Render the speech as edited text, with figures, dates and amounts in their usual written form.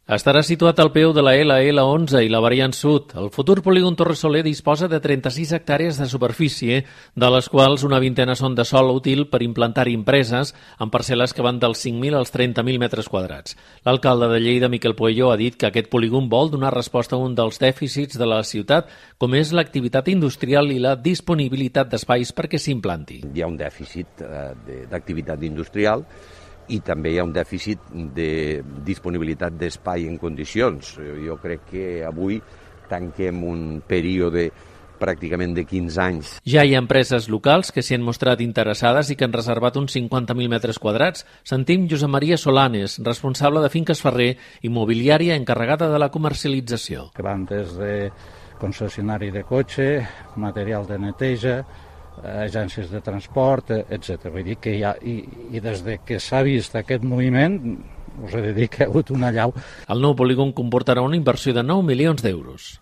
Estarà situat al peu de la LL11 i la variant sud. El futur polígon Torre Soler disposa de 36 hectàrees de superfície, de les quals una vintena són de sòl útil per implantar-hi empreses, amb parcel·les que van dels 5.000 als 30.000 metres quadrats. L'alcalde de Lleida, Miquel Pueyo, ha dit que aquest polígon vol donar resposta a un dels dèficits de la ciutat, com és l'activitat industrial i la disponibilitat d'espais perquè s'implanti. Hi ha un dèficit d'activitat industrial i també hi ha un dèficit de disponibilitat d'espai en condicions. Jo crec que avui tanquem un període pràcticament de 15 anys. Ja hi ha empreses locals que s'hi han mostrat interessades i que han reservat uns 50.000 metres quadrats. Sentim Josep Maria Solanes, responsable de Finques Ferrer, immobiliària encarregada de la comercialització. Que van des de concessionari de cotxe, material de neteja, agències de transport, etc. Vull dir que i des de que s'ha vist aquest moviment, us he de dir que ha hagut una allau. El nou polígon comportarà una inversió de 9 milions d'euros.